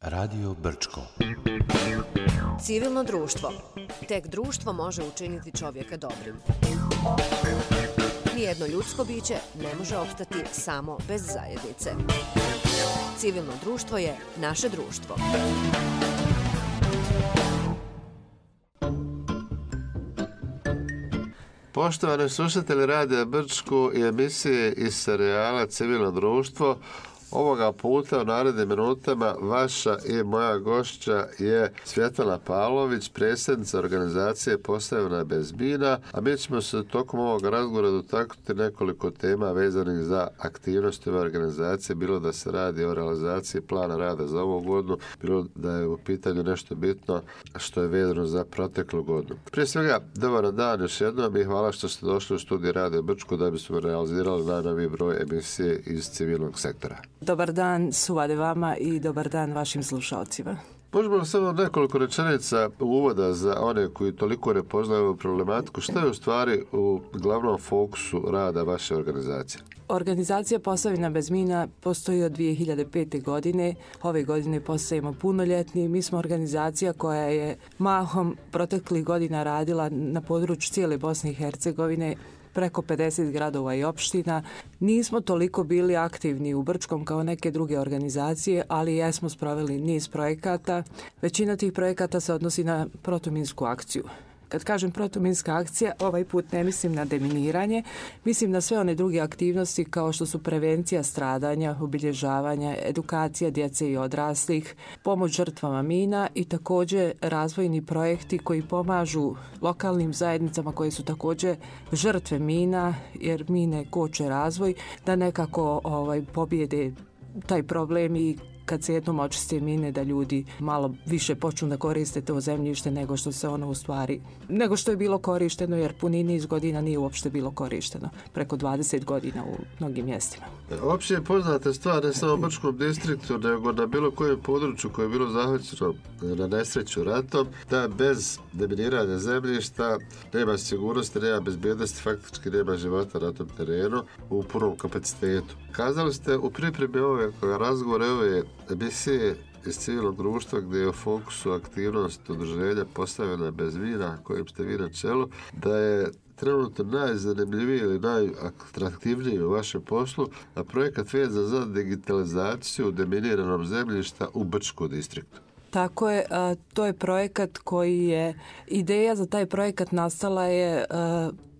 Radio Brčko. Civilno društvo. Tek društvo može učiniti čovjeka dobrim. Nijedno ljudsko biće ne može opstati samo bez zajednice. Civilno društvo je naše društvo. Poštovani slušatelji Radija Brčko i emisije iz serijala Civilno društvo, ovoga puta u narednim minutama vaša i moja gošća je Svjetlana Pavlović, predsjednica organizacije Posavina bez mina, a mi ćemo se tokom ovog razgovora dotaknuti nekoliko tema vezanih za aktivnosti ove organizacije, bilo da se radi o realizaciji plana rada za ovu godinu, bilo da je u pitanju nešto bitno što je vezano za proteklu godinu. Prije svega, dobar dan još jednom i hvala što ste došli u studiju Radio Brčko da bismo realizirali najnoviji broj emisije iz civilnog sektora. Dobar dan Suvade vama i dobar dan vašim slušalcima. Možemo samo nekoliko rečenica uvoda za one koji toliko ne poznaju ovu problematiku. Što je u stvari u glavnom fokusu rada vaše organizacije? Organizacija Posavina bez mina postoji od 2005. godine. Ove godine postajemo punoljetni. Mi smo organizacija koja je mahom proteklih godina radila na području cijele Bosne i Hercegovine, preko 50 gradova i opština. Nismo toliko bili aktivni u Brčkom kao neke druge organizacije, ali jesmo sproveli niz projekata. Većina tih projekata se odnosi na protuminsku akciju. Kad kažem protuminska akcija, ovaj put ne mislim na deminiranje, mislim na sve one druge aktivnosti kao što su prevencija stradanja, obilježavanja, edukacija djece i odraslih, pomoć žrtvama mina i također razvojni projekti koji pomažu lokalnim zajednicama koje su također žrtve mina, jer mine koče razvoj, da nekako pobjede taj problem i kad se jednom očiste mine da ljudi malo više počnu da koriste to zemljište nego što se ono u stvari, nego što je bilo korišteno, jer puni niz godina nije uopšte bilo korišteno, preko 20 godina u mnogim mjestima. Opće je poznata stvar ne samo u Brčkom distriktu, nego na bilo kojem području koje je bilo zahvaćeno na nesreću ratom, da bez deminiranja zemljišta nema sigurnosti, nema bezbjednosti, faktički nema života na tom terenu u punom kapacitetu. Kazali ste u pripremi ove razgovore, ove emisije iz civilnog društva gdje je u fokusu aktivnost udruženja Posavina bez mina, kojim ste vi na čelu, da je trenutno najzanimljiviji ili najatraktivniji u vašem poslu, a projekat vezan za digitalizaciju deminiranog zemljišta u Brčkom distriktu. Tako je, to je projekat koji je, ideja za taj projekat nastala je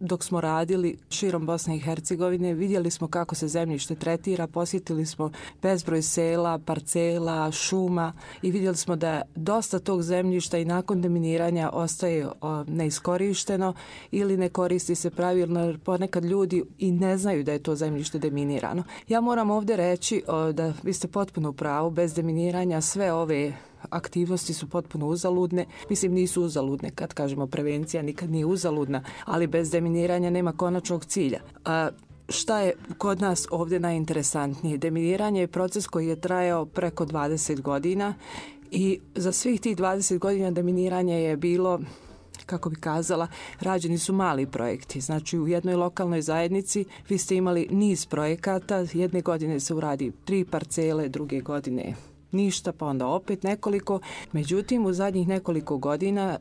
dok smo radili širom Bosne i Hercegovine, vidjeli smo kako se zemljište tretira, posjetili smo bezbroj sela, parcela, šuma i vidjeli smo da dosta tog zemljišta i nakon deminiranja ostaje neiskorišteno ili ne koristi se pravilno, jer ponekad ljudi i ne znaju da je to zemljište deminirano. Ja moram ovdje reći da vi ste potpuno u pravu, bez deminiranja sve ove aktivnosti su potpuno uzaludne. Mislim, nisu uzaludne, kad kažemo prevencija nikad nije uzaludna, ali bez deminiranja nema konačnog cilja. Šta je kod nas ovdje najinteresantnije? Deminiranje je proces koji je trajao preko 20 godina i za svih tih 20 godina deminiranje je bilo, kako bi kazala, rađeni su mali projekti. Znači u jednoj lokalnoj zajednici vi ste imali niz projekata, jedne godine se uradi 3 parcele, druge godine ništa, pa onda opet nekoliko. Međutim, u zadnjih nekoliko godina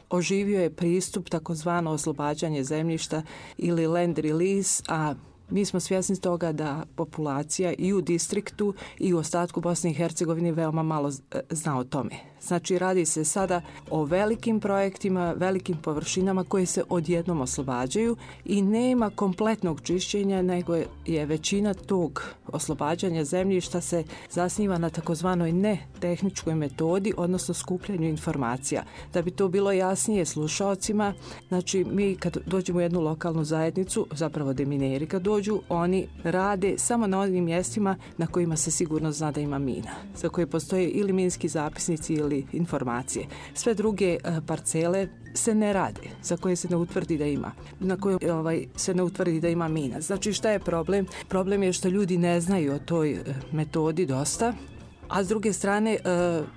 oživio je pristup takozvano oslobađanje zemljišta ili land release, a mi smo svjesni toga da populacija i u distriktu i u ostatku Bosne i Hercegovine veoma malo zna o tome. Znači, radi se sada o velikim projektima, velikim površinama koje se odjednom oslobađaju i nema kompletnog čišćenja, nego je većina tog oslobađanja zemljišta se zasniva na takozvanoj netehničkoj metodi, odnosno skupljanju informacija. Da bi to bilo jasnije slušalcima, znači mi kad dođemo u jednu lokalnu zajednicu, zapravo demineri kad dođu, oni rade samo na onim mjestima na kojima se sigurno zna da ima mina, za koje postoje ili minski zapisnici ili informacije. Sve druge parcele se ne rade, za koje se ne utvrdi da ima, na koje se ne utvrdi da ima mina. Znači, šta je problem? Problem je što ljudi ne znaju o toj metodi dosta A s druge strane,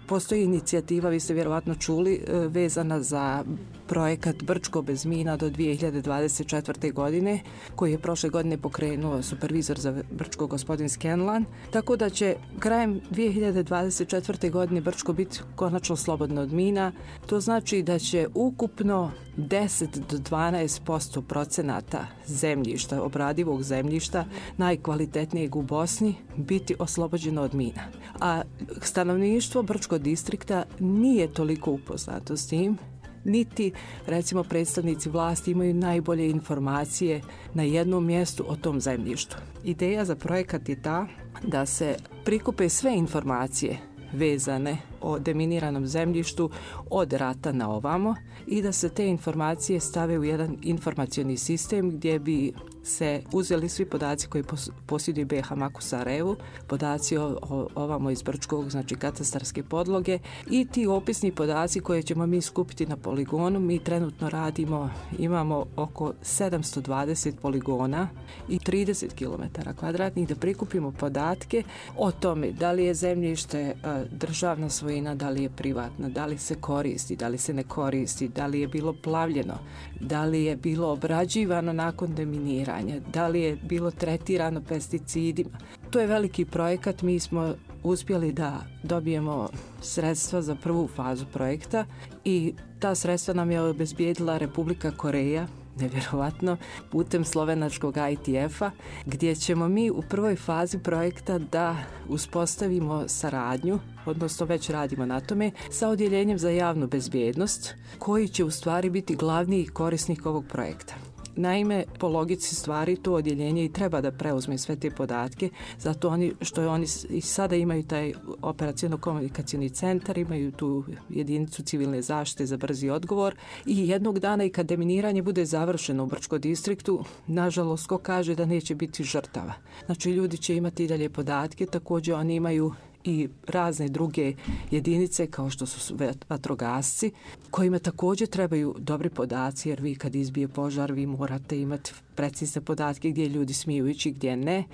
postoji inicijativa, vi ste vjerovatno čuli, vezana za projekat Brčko bez mina do 2024. godine, koji je prošle godine pokrenuo supervizor za Brčko gospodin Scanlan, tako da će krajem 2024. godine Brčko biti konačno slobodno od mina. To znači da će ukupno 10 do 12% procenata zemljišta, obradivog zemljišta, najkvalitetnijeg u Bosni, biti oslobođeno od mina. A stanovništvo Brčkog distrikta nije toliko upoznato s tim, niti, recimo, predstavnici vlasti imaju najbolje informacije na jednom mjestu o tom zemljištu. Ideja za projekat je ta da se prikupe sve informacije vezane o deminiranom zemljištu od rata na ovamo i da se te informacije stave u jedan informacioni sistem gdje bi se uzeli svi podaci koji posjeduje BiH MAK u Sarajevu, podaci ovamo iz Brčkog, znači katastarske podloge, i ti opisni podaci koje ćemo mi skupiti na poligonu. Mi trenutno imamo oko 720 poligona i 30 km kvadratnih da prikupimo podatke o tome da li je zemljište državna svojina, da li je privatna, da li se koristi, da li se ne koristi, da li je bilo plavljeno, da li je bilo obrađivano nakon deminiranja, da li je bilo tretirano pesticidima. To je veliki projekat. Mi smo uspjeli da dobijemo sredstva za prvu fazu projekta i ta sredstva nam je obezbijedila Republika Koreja, nevjerovatno, putem slovenačkog ITF-a, gdje ćemo mi u prvoj fazi projekta da uspostavimo saradnju, odnosno već radimo na tome, sa odjeljenjem za javnu bezbjednost, koji će u stvari biti glavni korisnik ovog projekta. Naime, po logici stvari to odjeljenje i treba da preuzme sve te podatke, zato oni i sada imaju taj operaciono-komunikacioni centar, imaju tu jedinicu civilne zaštite za brzi odgovor i jednog dana i kad deminiranje bude završeno u Brčkom distriktu, nažalost, ko kaže da neće biti žrtava. Znači, ljudi će imati i dalje podatke, također oni imaju i razne druge jedinice kao što su vatrogasci, kojima također trebaju dobri podaci, jer vi kad izbije požar vi morate imati precizne podatke gdje ljudi smiju ići, gdje ne.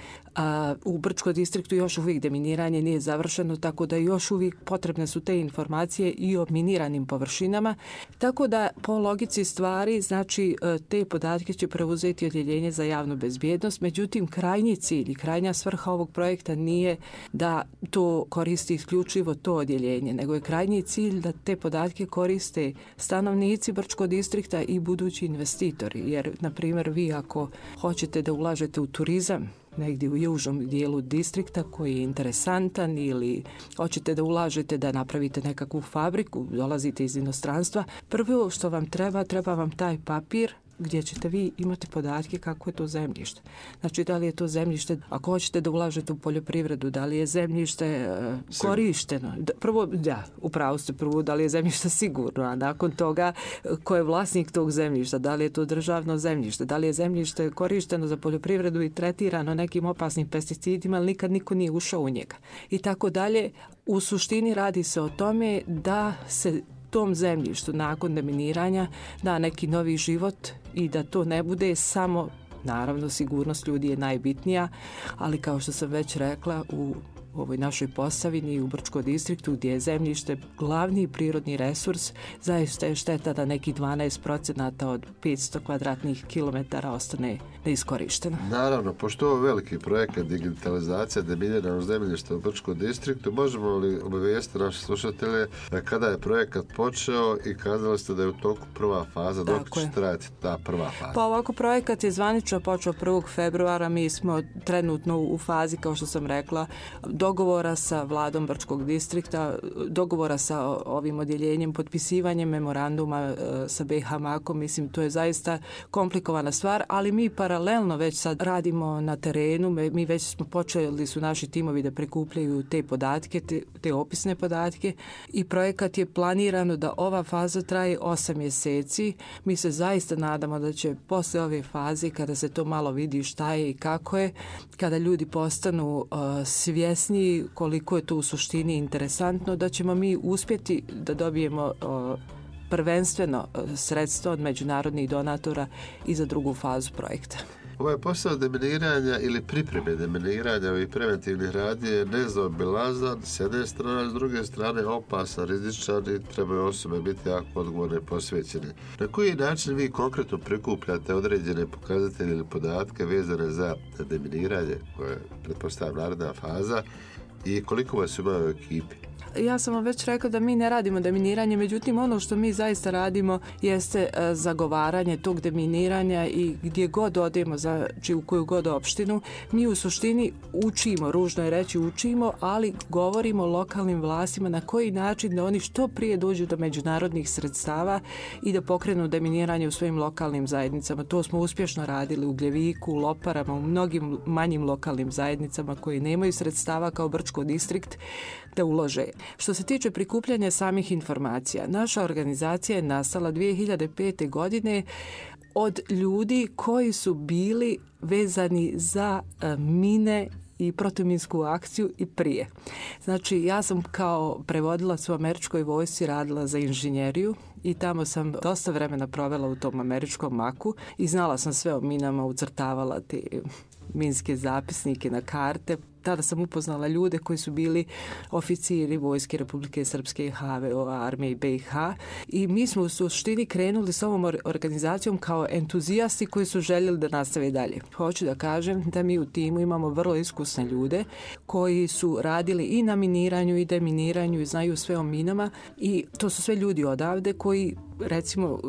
U Brčkom distriktu još uvijek deminiranje nije završeno, tako da još uvijek potrebne su te informacije i o miniranim površinama. Tako da po logici stvari, znači, te podatke će preuzeti odjeljenje za javnu bezbjednost. Međutim, krajnji cilj i krajnja svrha ovog projekta nije da to koristi isključivo to odjeljenje, nego je krajnji cilj da te podatke koriste stanovnici Brčkog distrikta i budući investitori. Jer, na primjer, vi ako hoćete da ulažete u turizam negdje u južnom dijelu distrikta koji je interesantan, ili hoćete da ulažete da napravite nekakvu fabriku, dolazite iz inostranstva, prvo što vam treba vam taj papir gdje ćete vi imati podatke kako je to zemljište. Znači, da li je to zemljište, ako hoćete da ulažete u poljoprivredu, da li je zemljište korišteno. Prvo, upravo ste, da li je zemljište sigurno, a nakon toga ko je vlasnik tog zemljišta, da li je to državno zemljište, da li je zemljište korišteno za poljoprivredu i tretirano nekim opasnim pesticidima, ali nikad niko nije ušao u njega. I tako dalje. U suštini radi se o tome da se tom zemljištu nakon deminiranja da neki novi život i da to ne bude samo, naravno, sigurnost ljudi je najbitnija, ali kao što sam već rekla, u ovoj našoj Posavini i u Brčkom distriktu gdje je zemljište glavni prirodni resurs, zaista je šteta da nekih 12% od 500 kvadratnih kilometara ostane neiskorišteno. Naravno, pošto je ovo veliki projekat digitalizacija deminiranog zemljišta u Brčkom distriktu, možemo li obavijestiti naše slušatelje kada je projekat počeo i kazali ste da je u toku prva faza, dok će trajati ta prva faza? Pa ovako, projekat je zvanično počeo 1. februara, mi smo trenutno u fazi, kao što sam rekla, dogovora sa vladom Brčkog distrikta, dogovora sa ovim odjeljenjem, potpisivanjem memoranduma sa BiH MAK-om. Mislim, to je zaista komplikovana stvar, ali mi paralelno već sad radimo na terenu, mi već smo počeli, su naši timovi da prikupljaju te podatke, te opisne podatke, i projekat je planirano da ova faza traje 8 mjeseci. Mi se zaista nadamo da će posle ove faze, kada se to malo vidi šta je i kako je, kada ljudi postanu svjesni koliko je to u suštini interesantno, da ćemo mi uspjeti da dobijemo prvenstveno sredstva od međunarodnih donatora i za drugu fazu projekta. Ovaj posao deminiranja ili pripreme deminiranja ovih preventivnih radnji je nezaobilazan s jedne strane, s druge strane opasan, rizičan i trebaju osobe biti jako odgovorne i posvećene. Na koji način vi konkretno prikupljate određene pokazatelje ili podatke vezane za deminiranje, koje je pretpostavljam naredna faza, i koliko vas ima u ekipi? Ja sam vam već rekla da mi ne radimo deminiranje, međutim ono što mi zaista radimo jeste zagovaranje tog deminiranja i gdje god odemo, znači u koju god opštinu, mi u suštini učimo, ružno je reći učimo, ali govorimo lokalnim vlastima na koji način da oni što prije dođu do međunarodnih sredstava i da pokrenu deminiranje u svojim lokalnim zajednicama. To smo uspješno radili u Gljeviku, u Loparama, u mnogim manjim lokalnim zajednicama koji nemaju sredstava kao Brčko distrikt da ulože. Što se tiče prikupljanja samih informacija, naša organizacija je nastala 2005. godine od ljudi koji su bili vezani za mine i protuminsku akciju i prije. Znači, ja sam kao prevodilac u američkoj vojsci radila za inženjeriju i tamo sam dosta vremena provela u tom američkom maku i znala sam sve o minama, ucrtavala te minske zapisnike na karte. Tada sam upoznala ljude koji su bili oficiri Vojske Republike Srpske i HVO, armije BiH, i mi smo u suštini krenuli s ovom organizacijom kao entuzijasti koji su željeli da nastave dalje. Hoću da kažem da mi u timu imamo vrlo iskusne ljude koji su radili i na miniranju i deminiranju i znaju sve o minama, i to su sve ljudi odavde koji, recimo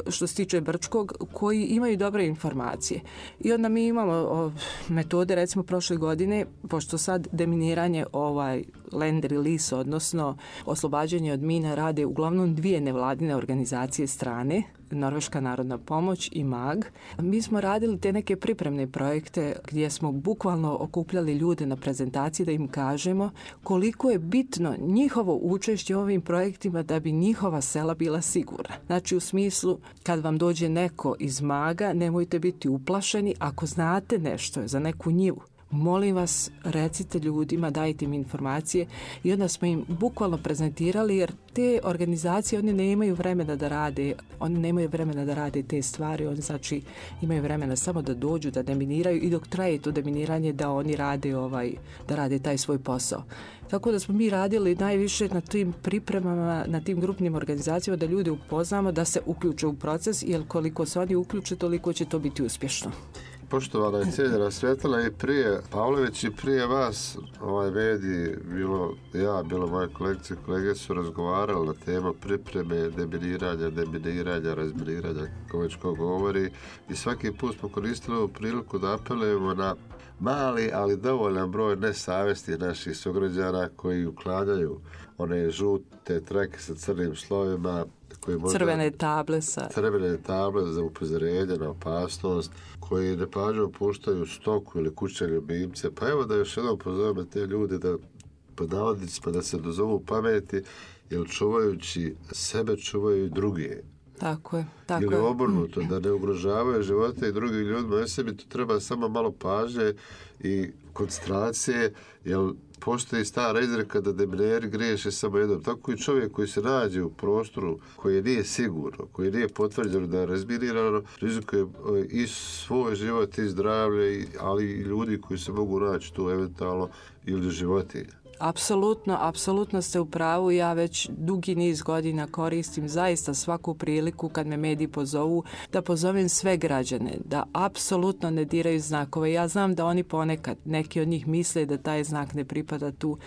što se tiče Brčkog, koji imaju dobre informacije. I onda mi imamo metode, recimo prošle godine, pošto sad deminiranje land release, odnosno oslobađanje od mina, rade uglavnom dvije nevladine organizacije strane, Norveška narodna pomoć i MAG. Mi smo radili te neke pripremne projekte gdje smo bukvalno okupljali ljude na prezentaciji da im kažemo koliko je bitno njihovo učešće u ovim projektima da bi njihova sela bila sigurna. Znači u smislu, kad vam dođe neko iz MAG-a, nemojte biti uplašeni ako znate nešto za neku njivu. Molim vas, recite ljudima, dajte im informacije, i onda smo im bukvalno prezentirali, jer te organizacije, oni nemaju vremena da rade te stvari, oni znači imaju vremena samo da dođu, da deminiraju, i dok traje to deminiranje da oni rade taj svoj posao. Tako da smo mi radili najviše na tim pripremama, na tim grupnim organizacijama, da ljude upoznamo da se uključe u proces, jer koliko se oni uključe, toliko će to biti uspješno. Poštovana i cijenjena Svjetlana, i prije Pavlović i prije vas mediji, bilo moje kolegice i kolege su razgovarali na temu pripreme, deminiranja, razminiranja, kako već ko govori, i svaki put smo koristili ovu priliku da apelujemo na mali, ali dovoljan broj nesavjesnih naših sugrađana koji uklanjaju one žute trake sa crnim slovima, crvene table za upozorenje na opasnost, koji nepažljivo puštaju stoku ili kućne ljubimce. Pa evo da još jednom pozovemo te ljude da, pod navodnicima, da se dozovu pameti, jer čuvajući sebe čuvaju i druge. Tako je. Ili obrnuto, da ne ugrožavaju živote i drugim ljudima. Ja sebi tu treba samo malo pažnje i koncentracije, jer postoji stara izreka da demineri griješe samo jednom. Tako i čovjek koji se nađe u prostoru koji nije sigurno, koji nije potvrđeno da je razminirano, rizikuje i svoj život i zdravlje, ali i ljudi koji se mogu naći tu eventualno ili životinja. Apsolutno ste u pravu. Ja već dugi niz godina koristim zaista svaku priliku kad me mediji pozovu da pozovem sve građane da apsolutno ne diraju znakove. Ja znam da oni ponekad, neki od njih misle da taj znak ne pripada tu.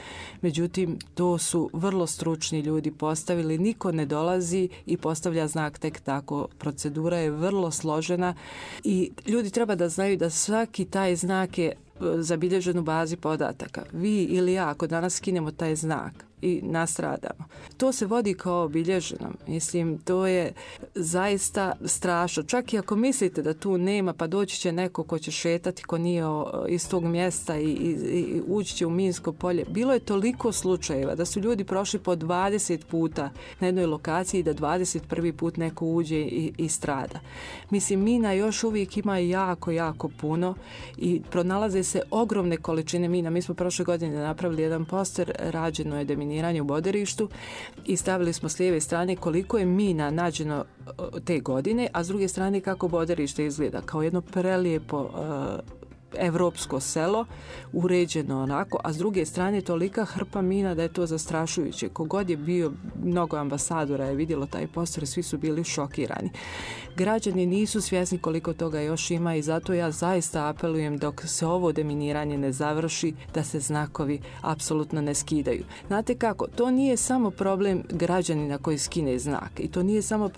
Međutim, to su vrlo stručni ljudi postavili. Niko ne dolazi i postavlja znak tek tako. Procedura je vrlo složena i ljudi treba da znaju da svaki taj znak je zabilježen u bazi podataka. Vi ili ja, ako danas skinemo taj znak i nastradamo, to se vodi kao obilježeno. Mislim, to je zaista strašno. Čak i ako mislite da tu nema, pa doći će neko ko će šetati, ko nije iz tog mjesta i ući će u minsko polje. Bilo je toliko slučajeva da su ljudi prošli po 20 puta na jednoj lokaciji i da 21. put neko uđe i strada. Mislim, mina još uvijek ima jako puno i pronalaze se ogromne količine mina. Mi smo prošle godine napravili jedan poster, rađeno je deminiranje deminiranje u Boderištu i stavili smo s lijeve strane koliko je mina nađeno te godine, a s druge strane kako Boderište izgleda kao jedno prelijepo evropsko selo, uređeno onako, a s druge strane tolika hrpa mina da je to zastrašujuće. Kogod je bio, mnogo ambasadora je vidjelo taj poster, svi su bili šokirani. Građani nisu svjesni koliko toga još ima i zato ja zaista apelujem dok se ovo deminiranje ne završi da se znakovi apsolutno ne skidaju. Znate kako, to nije samo problem građanina koji skine znak i to nije samo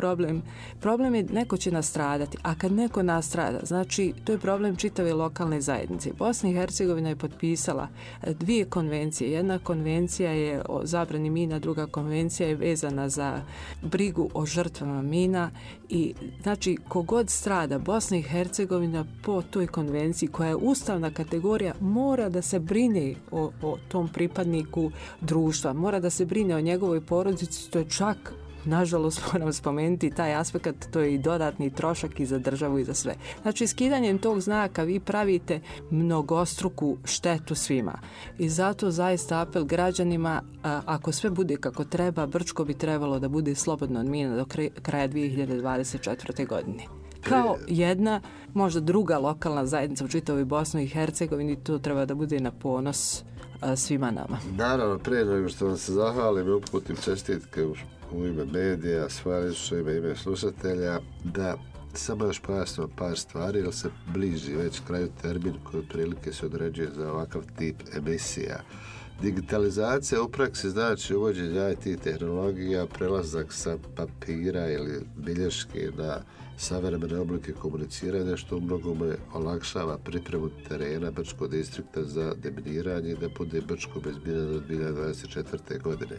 problem je neko će nastradati, a kad neko nastrada, znači to je problem čitave lokalne zajednice. Bosna i Hercegovina je potpisala 2 konvencije. Jedna konvencija je o zabrani mina, druga konvencija je vezana za brigu o žrtvama mina i znači kogod strada Bosna i Hercegovina po toj konvenciji koja je ustavna kategorija mora da se brine o tom pripadniku društva, mora da se brine o njegovoj porodici, to je čak nažalost moram spomenuti taj aspekt, to je i dodatni trošak i za državu i za sve. Znači skidanjem tog znaka vi pravite mnogostruku štetu svima i zato zaista apel građanima, ako sve bude kako treba, Brčko bi trebalo da bude slobodno od mina do kraja 2024. godine. Kao jedna, možda druga lokalna zajednica u čitavoj Bosni i Hercegovini, to treba da bude na ponos svima nama. Naravno, prije nego što vam se zahvalim i uputim čestitke u ime medija, svoje ime slušatelja, da samo još pojasnimo par stvari, jer se bliži već kraju termin koji prilike se određuje za ovakav tip emisija. Digitalizacija u praksi znači uvođenje IT tehnologija, prelazak sa papira ili bilješke na savremene oblike komuniciranja, što u mnogome olakšava pripremu terena Brčkog distrikta za deminiranje i da bude Brčko bez mina do 2024. godine.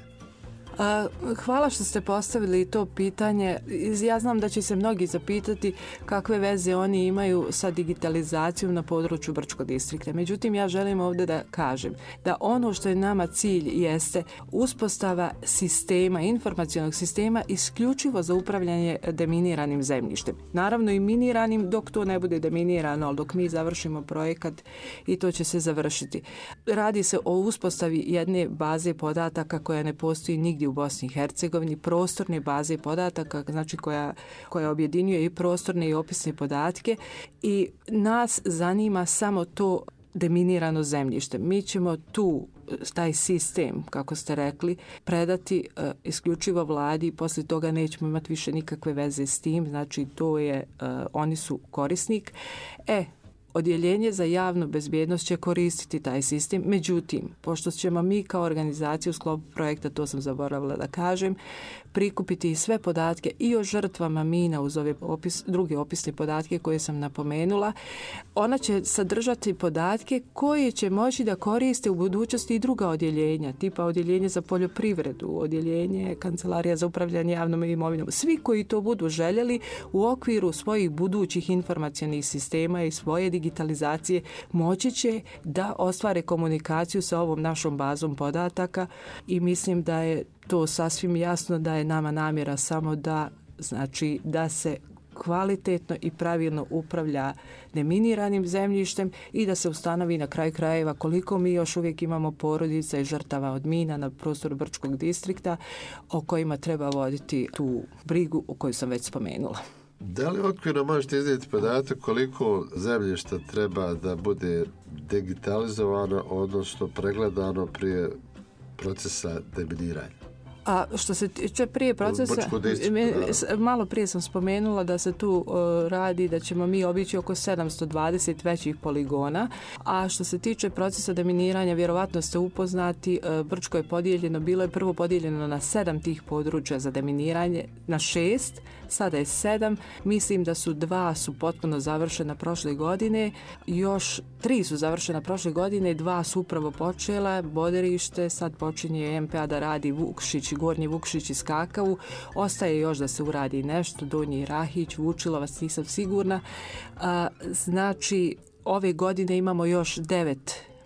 Hvala što ste postavili to pitanje. Ja znam da će se mnogi zapitati kakve veze oni imaju sa digitalizacijom na području Brčkog distrikta. Međutim, ja želim ovdje da kažem da ono što je nama cilj jeste uspostava sistema, informacionog sistema isključivo za upravljanje deminiranim zemljištem. Naravno i miniranim dok to ne bude deminirano, ali dok mi završimo projekat i to će se završiti. Radi se o uspostavi jedne baze podataka koja ne postoji nigdje u Bosni i Hercegovini, prostorne baze podataka, znači koja objedinjuje i prostorne i opisne podatke i nas zanima samo to deminirano zemljište. Mi ćemo taj sistem, kako ste rekli, predati isključivo vladi i poslije toga nećemo imati više nikakve veze s tim, znači to je, oni su korisnik. Odjeljenje za javnu bezbjednost će koristiti taj sistem, međutim, pošto ćemo mi kao organizacija u sklopu projekta, to sam zaboravila da kažem, prikupiti sve podatke i o žrtvama mina uz ove druge opisne podatke koje sam napomenula, ona će sadržati podatke koje će moći da koriste u budućnosti i druga odjeljenja, tipa odjeljenje za poljoprivredu, odjeljenje Kancelarija za upravljanje javnom imovinom. Svi koji to budu željeli u okviru svojih budućih informacionih sistema i svoje digitalizacije moći će da ostvare komunikaciju sa ovom našom bazom podataka i mislim da je to sasvim jasno da je nama namjera samo da se kvalitetno i pravilno upravlja deminiranim zemljištem i da se ustanovi na kraju krajeva koliko mi još uvijek imamo porodica i žrtava od mina na prostoru Brčkog distrikta o kojima treba voditi tu brigu o kojoj sam već spomenula. Da li okvirno možete iznijeti podatak koliko zemljišta treba da bude digitalizovano, odnosno pregledano prije procesa deminiranja? A što se tiče prije procesa, malo prije sam spomenula da se tu radi da ćemo mi obići oko 720 većih poligona, a što se tiče procesa deminiranja, vjerovatno ste upoznati, Brčko je podijeljeno, bilo je prvo podijeljeno na 7 tih područja za deminiranje, na 6, sada je 7, mislim da su 2 su potpuno završena prošle godine, još 3 su završena prošle godine, 2 su upravo počela, Boderište, sad počinje MPA da radi Vukšić, Gornji Vukšić i Skakavu, ostaje još da se uradi nešto, Donji Rahić, Vučilovac, nisam sigurna. Znači, ove godine imamo još 9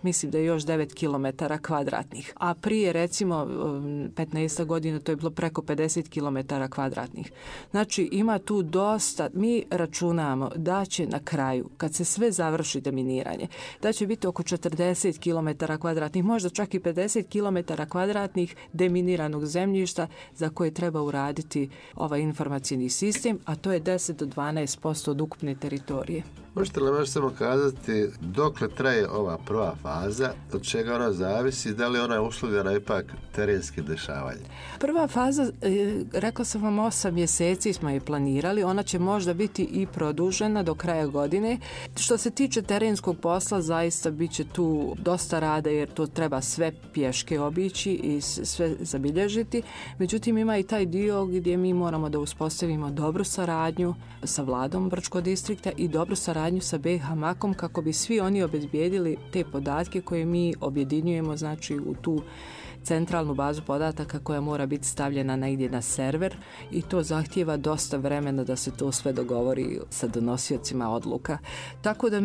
mislim da je još 9 km kvadratnih. A prije recimo 15 godina to je bilo preko 50 km kvadratnih. Znači ima tu dosta, mi računamo da će na kraju, kad se sve završi deminiranje, da će biti oko 40 km kvadratnih, možda čak i 50 km kvadratnih deminiranog zemljišta za koje treba uraditi ovaj informacijni sistem, a to je 10 do 12% od ukupne teritorije. Možete li još samo kazati dokle traje ova prva faza, od čega ona zavisi, da li ona je uslovljena ipak terenskim dešavanjem? Prva faza, rekla sam vam, 8 mjeseci smo je planirali, ona će možda biti i produžena do kraja godine. Što se tiče terenskog posla, zaista bit će tu dosta rada jer to treba sve pješke obići i sve zabilježiti. Međutim, ima i taj dio gdje mi moramo da uspostavimo dobru saradnju sa vladom Brčkog distrikta i dobru saradnju sa BiH MAK-om kako bi svi oni obezbijedili te podatke koje mi objedinjujemo, znači u tu centralnu bazu podataka koja mora biti stavljena negdje na server i to zahtijeva dosta vremena da se to sve dogovori sa donosiocima odluka. Tako da,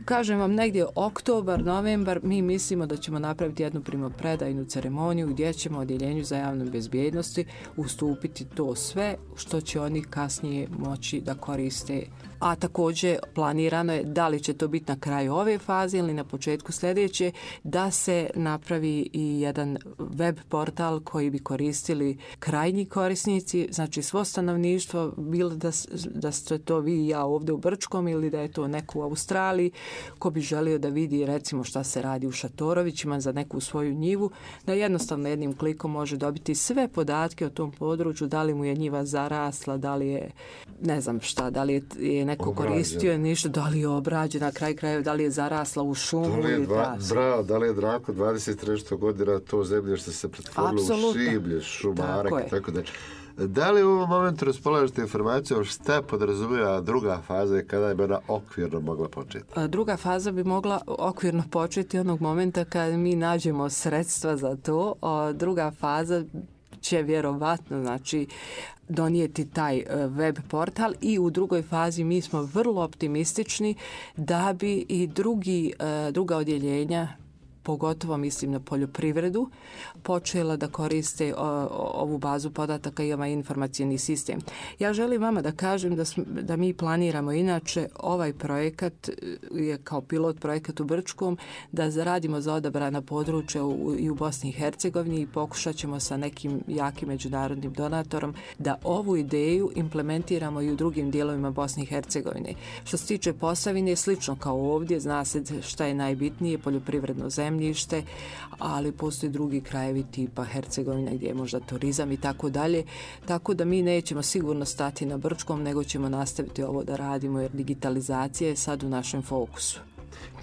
kažem vam, negdje oktobar, novembar, mi mislimo da ćemo napraviti jednu primopredajnu ceremoniju gdje ćemo odjeljenju za javnu bezbjednosti ustupiti to sve što će oni kasnije moći da koriste. A također planirano je, da li će to biti na kraju ove faze ili na početku sljedeće, da se napravi i jedan web portal koji bi koristili krajnji korisnici, znači svo stanovništvo, bilo da ste to vi i ja ovdje u Brčkom ili da je to neko u Australiji, ko bi želio da vidi recimo šta se radi u Šatorovićima za neku svoju njivu, da jednostavno jednim klikom može dobiti sve podatke o tom području, da li mu je njiva zarasla, da li je ne znam šta, da li je neko koristio ništa, da li je obrađena, na kraj krajeva, da li je zarasla u šumu. Da li je Drako 23 godina to zemlje što se pretvorilo u šiblje, šumarak i tako da. Da li u ovom momentu raspolažete informacijom šta podrazumijeva druga faza i kada je ona okvirno mogla početi? Druga faza bi mogla okvirno početi onog momenta kad mi nađemo sredstva za to. Druga faza će vjerovatno, znači, donijeti taj web portal i u drugoj fazi mi smo vrlo optimistični da bi i druga odjeljenja, pogotovo mislim na poljoprivredu, počela da koriste ovu bazu podataka i ovaj informacijni sistem. Ja želim vama da kažem da mi planiramo inače ovaj projekat je kao pilot projekat u Brčkom, da zaradimo za odabrana područja i u Bosni i Hercegovini i pokušat ćemo sa nekim jakim međunarodnim donatorom da ovu ideju implementiramo i u drugim dijelovima Bosne i Hercegovine. Što se tiče Posavine, slično kao ovdje, zna se šta je najbitnije, poljoprivredno zemljište, ali postoji drugi krajevi tipa Hercegovina gdje je možda turizam i tako dalje. Tako da mi nećemo sigurno stati na Brčkom, nego ćemo nastaviti ovo da radimo jer digitalizacija je sad u našem fokusu.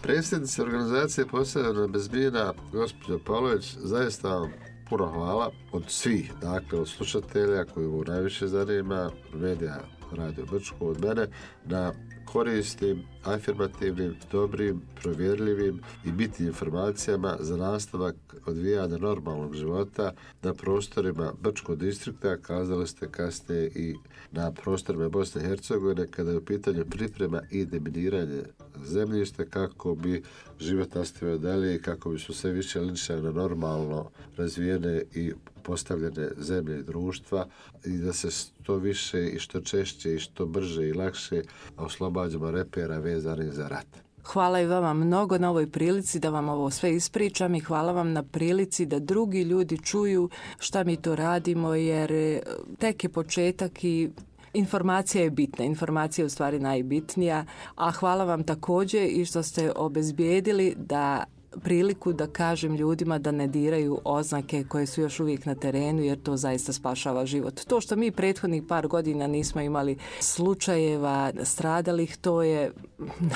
Predsjednica organizacije Posavina bez mina, gospođa Pavlović, zaista vam puno hvala od svih, dakle od slušatelja koji mu najviše zanima, medija Radio Brčko, od mene, na koristim, afirmativnim, dobrim, provjerljivim i bitnim informacijama za nastavak odvijanja normalnog života na prostorima Brčkog distrikta, kazali ste kasnije i na prostorima Bosne i Hercegovine kada je u pitanju priprema i deminiranje zemljišta kako bi život nastavio dalje i kako bi su sve više linčali na normalno razvijene i postavljene zemlje i društva i da se što više i što češće i što brže i lakše oslobađamo repera vezanih za rat. Hvala i vama mnogo na ovoj prilici da vam ovo sve ispričam i hvala vam na prilici da drugi ljudi čuju šta mi to radimo jer tek je početak i informacija je bitna, informacija je u stvari najbitnija, a hvala vam također i što ste obezbijedili da priliku da kažem ljudima da ne diraju oznake koje su još uvijek na terenu jer to zaista spašava život. To što mi prethodnih par godina nismo imali slučajeva stradalih, to je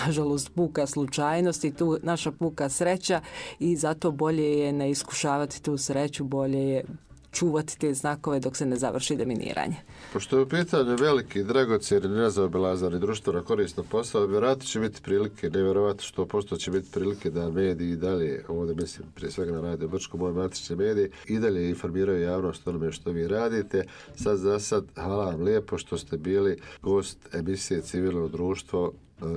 nažalost puka slučajnost i tu naša puka sreća i zato bolje je ne iskušavati tu sreću, bolje je čuvati te znakove dok se ne završi deminiranje. Pošto je u pitanju veliki, dragocjeni, nezaobilazani društveno korisno posao, vjerojatno će biti prilike, nevjerovatno što posto će biti prilike da mediji i dalje, ovdje mislim prije svega na Radio Brčko, moje matične medije, i dalje informiraju javnost onome što vi radite. Sad za sad, hvala vam lijepo što ste bili gost emisije Civilno društvo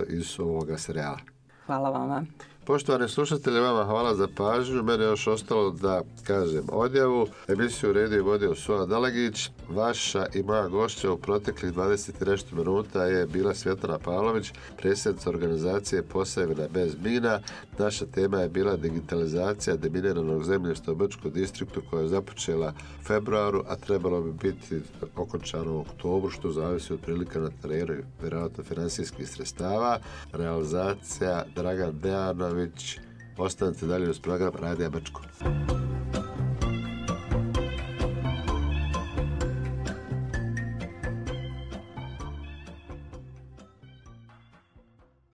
iz ovoga serijala. Hvala vama. Poštovani slušatelji, vama hvala za pažnju. Mene je još ostalo da kažem odjavu. Emisiju redio i vodio Suva Dalagić. Vaša i moja gošća u proteklih 20 i nešto minuta je bila Svjetlana Pavlović, predsjednica organizacije Posavina bez mina. Naša tema je bila digitalizacija deminiranog zemljišta u Brčkom distriktu koja je započela u februaru, a trebalo bi biti okončano u oktobru, što zavisi od prilika na terenu i vjerojatno finansijskih sredstava. Realizacija Dragan Dejanović. Ostanite dalje uz program Radija Brčko.